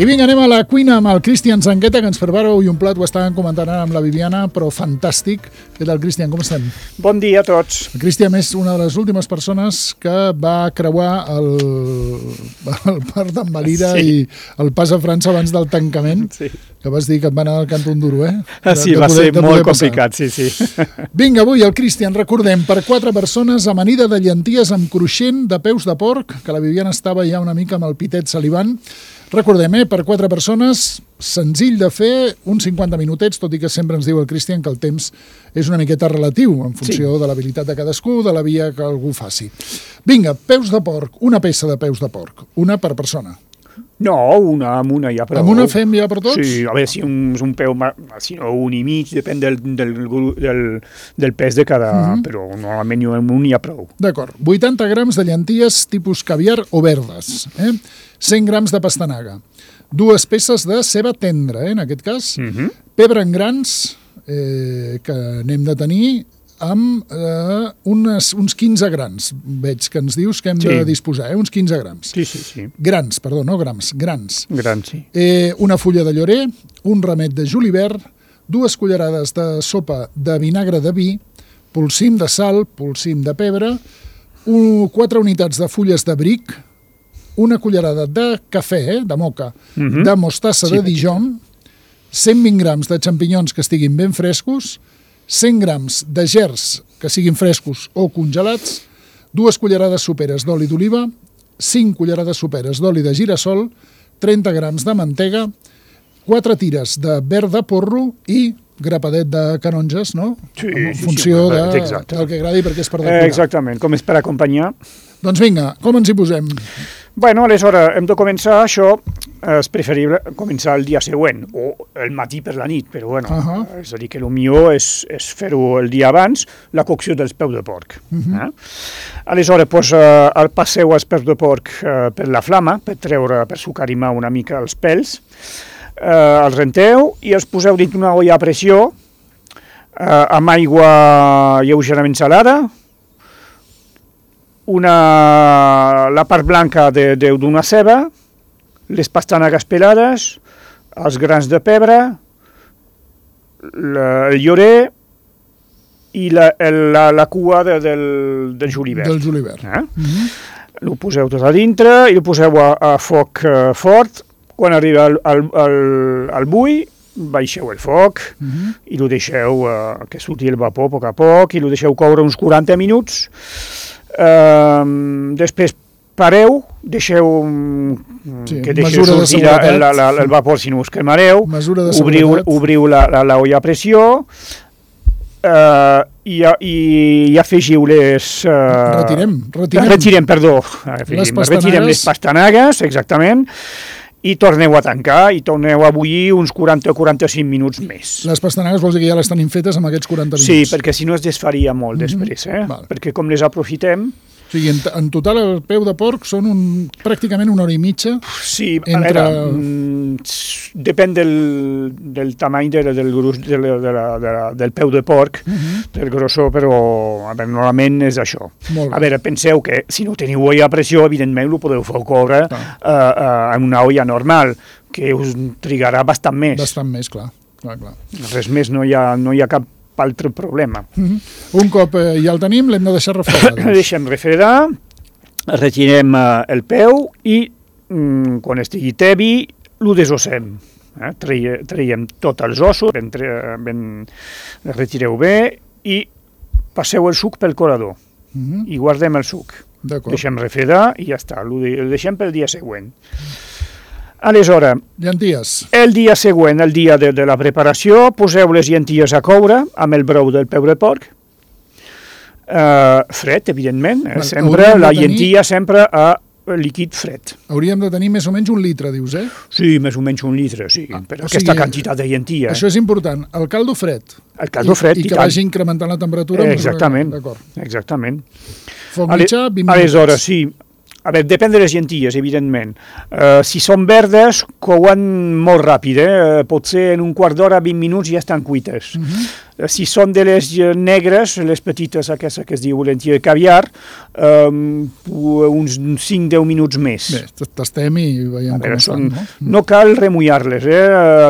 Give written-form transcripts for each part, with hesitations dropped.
I vinga, anem a la cuina amb el Cristian Zanqueta, que ens prepara avui un plat, ho estàvem comentant ara amb la Viviana, però fantàstic. Què tal, Cristian, com estem? Bon dia a tots. El Cristian és una de les últimes persones que va creuar el Parc d'Envalira i el pas a França abans del tancament, que vas dir que et va anar al Canton Duro, eh? Sí, va ser molt complicat, sí. Vinga, avui el Cristian, recordem, per 4 persones, amanida de llenties amb cruixent de peus de porc, que la Viviana estava ja una mica amb el pitet salivant. Recordem, per 4 persones, senzill de fer, uns 50 minutets, tot i que sempre ens diu el Cristian que el temps és una miqueta relatiu, en funció de l'habilitat de cadascú, de la via que algú faci. Vinga, peus de porc, una peça de peus de porc, una per persona. No, amb una ja prou. Amb una fem ja per tots? Sí, a veure, si un peu, si no un i mig, depèn del pes de cada, però normalment amb un ja prou. D'acord, 80 grams de llenties tipus caviar o verdes, 100 grams de pastanaga, 2 peces de ceba tendra, en aquest cas, pebre en grans, que n'hem de tenir, amb uns 15 grans, veig que ens dius que hem de disposar, uns 15 grams. Sí. Grans, perdó, no grams, grans. Grans, sí. Una fulla de llorer, un ramet de julivert, 2 cullerades de sopa de vinagre de vi, polsim de sal, polsim de pebre, 4 unitats de fulles de bric, una cullerada de cafè, de moca, de mostassa de Dijon, 120 grams de xampinyons que estiguin ben frescos, 100 grams de gerds que siguin frescos o congelats, 2 cullerades soperes d'oli d'oliva, 5 cullerades soperes d'oli de girassol, 30 grams de mantega, 4 tires de verd de porro i grapadet de canonges, no? Sí, en funció del que agradi, perquè és per decorar. Exactament, com és per acompanyar. Doncs vinga, com ens hi posem? Bueno, aleshores, hem de començar això, és preferible començar el dia següent, o el matí per la nit, però bueno, és a dir, que el millor és fer-ho el dia abans, la cocció dels peus de porc. Aleshores, passeu els peus de porc per la flama, per sucarimar una mica els pèls, els renteu i els poseu dins una olla a pressió, amb aigua lleugerament salada, la part blanca d'una ceba, les pastanagues pelades, els grans de pebre, el llorer i la cua del julivert. Del julivert. Ho poseu tot a dintre i ho poseu a foc fort. Quan arriba al bull, baixeu el foc i ho deixeu que surti el vapor a poc a poc i ho deixeu coure uns 40 minuts. Després pareu, deixeu que deixeu sortir el vapor si no us cremareu, obriu la olla a pressió i afegiu retirem les pastanagues, exactament, i torneu a tancar i torneu a bullir uns 40 o 45 minuts més. Les pastanagues vols dir que ja les tenim fetes amb aquests 40 minuts? Sí, perquè si no es desfaria molt després, perquè com les aprofitem... O sigui, en total el peu de porc són pràcticament 1 hora i mitja? Sí, a veure, depèn del tamany del gruix del peu de porc, del grossor, però normalment és això. A veure, penseu que si no teniu olla a pressió, evidentment ho podeu fer coure en una olla normal, que us trigarà bastant més. Bastant més, clar. Res més, no hi ha cap altre problema. Un cop ja el tenim, l'hem de deixar refredar. El deixem refredar, retirem el peu i quan estigui tebi, ho desossem. Traiem tots els ossos, el retireu bé i passeu el suc pel colador i guardem el suc. Deixem refredar i ja està, el deixem pel dia següent. Aleshores, el dia següent, el dia de la preparació, poseu les llenties a coure amb el brou del peu de porc, fred, evidentment, la llentia sempre a líquid fred. Hauríem de tenir més o menys 1 litre, dius, eh? Sí, més o menys 1 litre, sí, per aquesta quantitat de llentia. Això és important, el caldo fred. El caldo fred, i que vagi incrementant la temperatura. Exactament. Foc mitjà, 20 minuts. Aleshores, sí, A veure, depèn de les llenties, evidentment. Si són verdes, couen molt ràpid, potser en un quart d'hora, 20 minuts ja estan cuites. Si són de les negres, les petites, aquesta que es diu lentilla de caviar, uns 5-10 minuts més. Bé, tastem i veiem com estan, no? No cal remullar-les,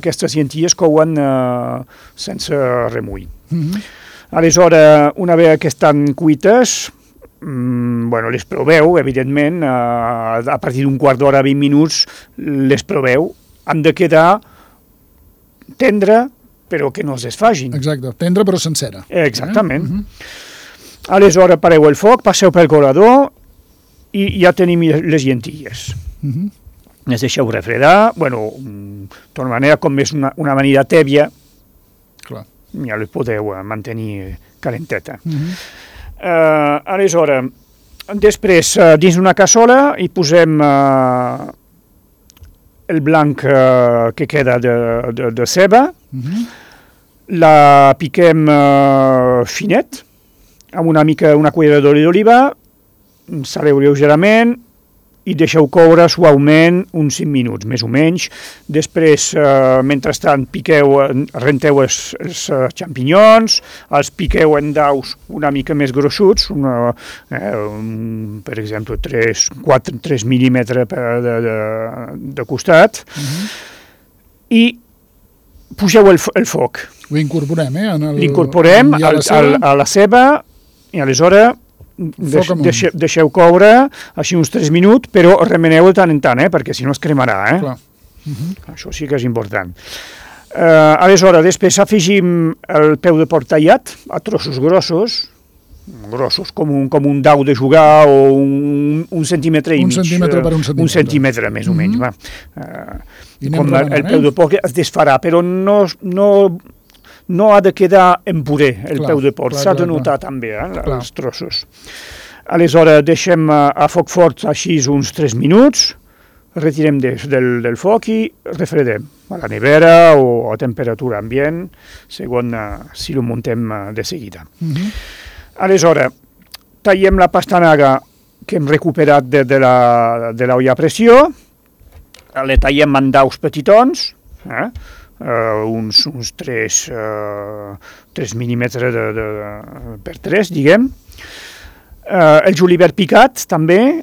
aquestes llenties couen sense remull. Aleshores, una vegada que estan cuites, les proveu, evidentment, a partir d'un quart d'hora, 20 minuts, les proveu. Han de quedar tendre, però que no es desfagin. Exacte, tendre però sencera. Exactament. Aleshores, pareu el foc, passeu pel colador i ja tenim les llentilles. Les deixeu refredar, de manera com és una amanida tèbia, ja les podeu mantenir calenteta. Aleshores, després, dins d'una cassola hi posem el blanc que queda de ceba, la piquem finet, amb una cullera d'oli d'oliva, saleu lleugerament i deixeu coure suaument uns 5 minuts, més o menys. Després, mentrestant, renteu els xampinyons, els piqueu en daus una mica més gruixuts, per exemple, 3 mil·límetres de costat, i pugeu el foc. Ho incorporem, L'incorporem a la ceba i aleshores deixeu coure així uns 3 minuts, però remeneu de tant en tant, perquè si no es cremarà. Això sí que és important. Aleshores, després afegim el peu de porc tallat a trossos grossos com un dau de jugar o un centímetre i mig. Un centímetre per un centímetre. Un centímetre, més o menys. Com el peu de porc es desfarà, però no ha de quedar en puré el peu de porc, s'ha de notar també els trossos. Aleshores deixem a foc fort així uns 3 minuts, retirem del foc i refredem a la nevera o a temperatura ambient, segons si ho muntem de seguida. Aleshores, tallem la pastanaga que hem recuperat de l'olla a pressió, la tallem en daus petitons, uns 3 mil·límetres per 3, diguem. El julivert picat, també.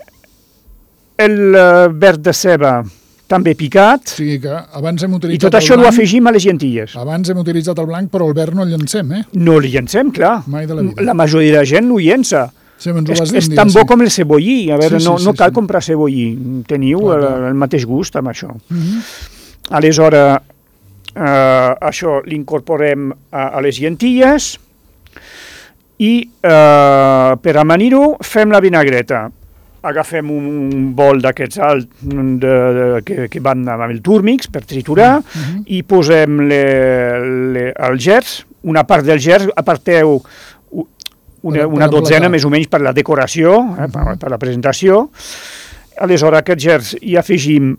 El verd de ceba, també picat. O sigui que abans hem utilitzat I tot això ho afegim a les llentilles. Abans hem utilitzat el blanc, però el verd no el llancem, No el llancem, clar. Mai de la vida. La majoria de la gent no ho llença. Sí, és tan bo com el cebollí. A veure, no cal comprar cebollí. Teniu el mateix gust amb això. Aleshores, això l'incorporem a les llentilles i per amanir-ho fem la vinagreta. Agafem un bol d'aquests alts que van amb el túrmix per triturar i posem el gerç, una part del gerç, aparteu una dotzena més o menys per la decoració, per la presentació. Aleshores, aquest gerç hi afegim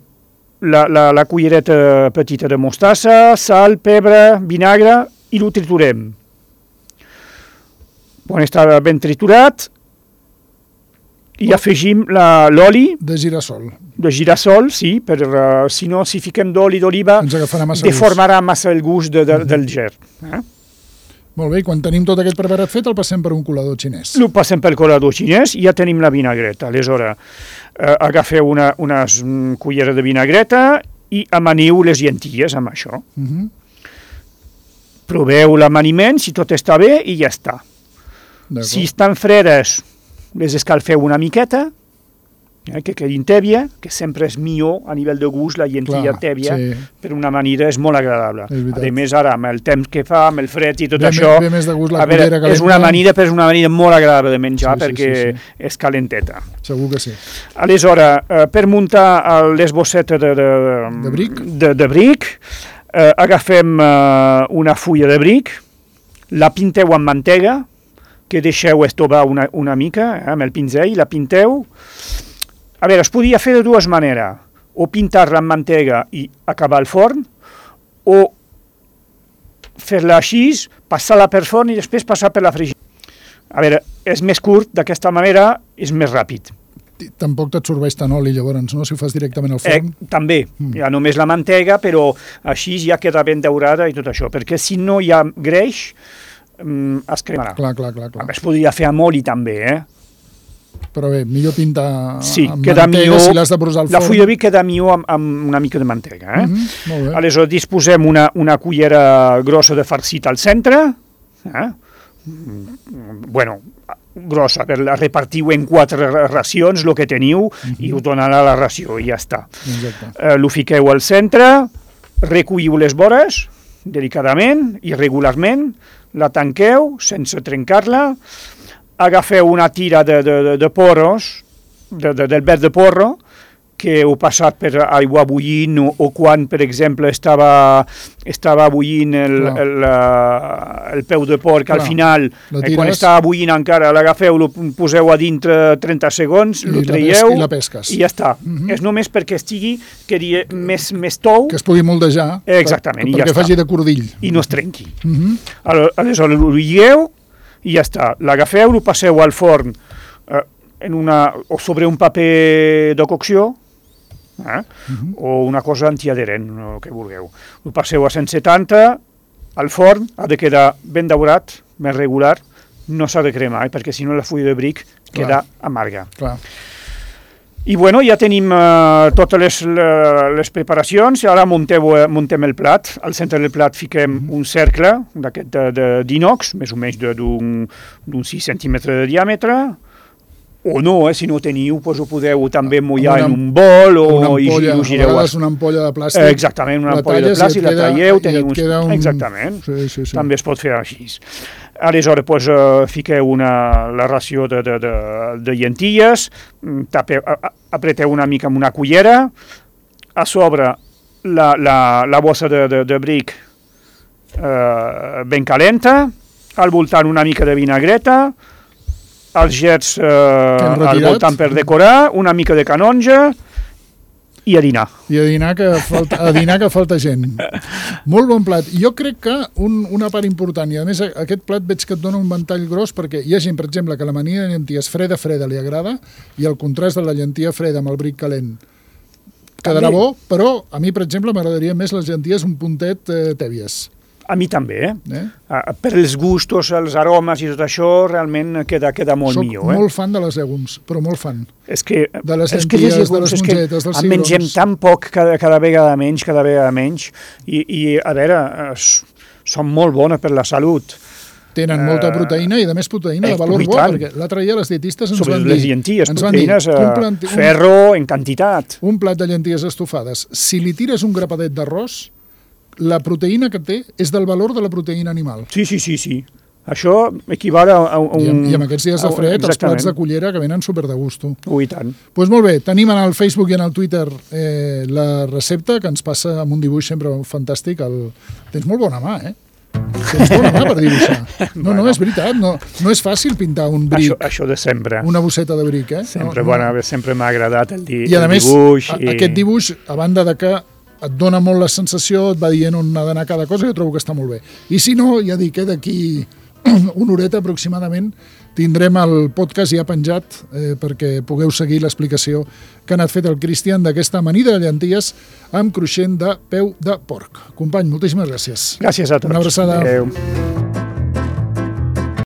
la cullereta petita de mostassa, sal, pebre, vinagre i ho triturem. Quan està ben triturat, i afegim l'oli de girassol. De girassol, sí, si no, si fiquem d'oli d'oliva, deformarà massa el gust del gerç. Molt bé, i quan tenim tot aquest preparat fet, el passem per un colador xinès. El passem pel colador xinès i ja tenim la vinagreta. Aleshores, agafeu unes culleres de vinagreta i amaniu les llentilles amb això. Proveu l'amaniment, si tot està bé, i ja està. Si estan fredes, les escalfeu una miqueta, que quedin tèbia, que sempre és millor a nivell de gust, la lentilla tèbia, per una manera és molt agradable. A més, ara, amb el temps que fa, amb el fred i tot això, és una amanida, però és una amanida molt agradable de menjar perquè és calenteta. Segur que sí. Aleshores, per muntar les bossetes de bric, agafem una fulla de bric, la pinteu amb mantega, que deixeu estovar una mica amb el pinzell, la pinteu. A veure, es podia fer de dues maneres, o pintar-la amb mantega i acabar al forn, o fer-la així, passar-la per forn i després passar per la fregidora. A veure, és més curt, d'aquesta manera és més ràpid. tampoc t'absorbeix tant oli, llavors, no? Si ho fas directament al forn. També, hi ha només la mantega, però així ja queda ben daurada i tot això, perquè si no hi ha greix, es cremarà. Clar. Es podria fer amb oli també, Però bé, millor pintar amb queda mantega millor, si l'has de posar al forn. La fulla de vi queda millor amb una mica de mantega. Molt bé. Aleshores, disposem una cullera grossa de farcit al centre, grossa, repartiu en 4 racions, el que teniu, i ho donarà la ració, i ja està. Lo fiqueu al centre, recolliu les vores, delicadament i regularment, la tanqueu sense trencar-la, agafeu una tira de porros, del verd de porro, que heu passat per aigua bullint o quan, per exemple, estava bullint el peu de porc, al final, quan estava bullint encara, l'agafeu, lo poseu a dintre 30 segons, lo traieu i la pesques. I ja està. És només perquè estigui més tou. Que es pugui moldejar. Exactament, i ja està. Perquè faci de cordill. I no es trenqui. Aleshores, lo lligueu i ja està. L'agafeu, lo passeu al forn o sobre un paper de cocció, o una cosa antiadherent, el que vulgueu. Ho passeu a 170, al forn, ha de quedar ben daurat, més regular, no s'ha de cremar, perquè si no la fulla de bric queda amarga. I bueno, ja tenim totes les preparacions, i ara muntem el plat. Al centre del plat fiquem un cercle d'aquest d'inox, més o menys d'un 6 centímetres de diàmetre, o no, si no teniu, doncs ho podeu també mullar en un bol o i ho gireu. A vegades una ampolla de plàstic. Exactament, una ampolla de plàstic, la traieu, teniu exactament, sí. també es pot fer així. Aleshores, doncs, fiqueu la ració de llenties, apreteu una mica amb una cullera, a sobre la bossa de bric ben calenta, al voltant una mica de vinagreta, els gets al voltant per decorar, una mica de canonja i a dinar. I a dinar que falta gent. Molt bon plat. Jo crec que una part important, i a més aquest plat veig que et dona un ventall gros perquè hi ha gent, per exemple, que l'amanida de llenties freda li agrada i el contrast de la llentia freda amb el bric calent quedarà bo, però a mi, per exemple, m'agradaria més les llenties un puntet tèbies. A mi també, Per els gustos, els aromes i tot això, realment queda molt millor. Soc molt fan de les llegums, però molt fan. És que de les llenties, de les mongetes, dels cigrons. En mengem tan poc cada vegada menys, i a veure, són molt bones per la salut. Tenen molta proteïna i, a més, proteïna de valor bo, perquè l'altre dia les dietistes ens van dir... Sobre les llenties, proteïnes, ferro en quantitat. Un plat de llenties estofades, si li tires un grapadet d'arròs, la proteïna que té és del valor de la proteïna animal. Sí. Això equival a un... I amb aquests dies de fred, els plats de cullera que venen super de gusto. I tant. Doncs molt bé, tenim en el Facebook i en el Twitter la recepta, que ens passa amb un dibuix sempre fantàstic. Tens molt bona mà, Tens bona mà per dibuixar. No, és veritat, no és fàcil pintar un bric. Això de sempre. Una bosseta de bric, Sempre m'ha agradat el dibuix. I a més, aquest dibuix, a banda de que et dona molt la sensació, et va dient on ha d'anar cada cosa, jo trobo que està molt bé. I si no, ja dic, d'aquí una horeta aproximadament tindrem el podcast ja penjat perquè pugueu seguir l'explicació que ha anat fet el Cristian d'aquesta amanida de llenties amb cruixent de peu de porc. Company, moltíssimes gràcies. Gràcies a tots. Una abraçada. Adéu.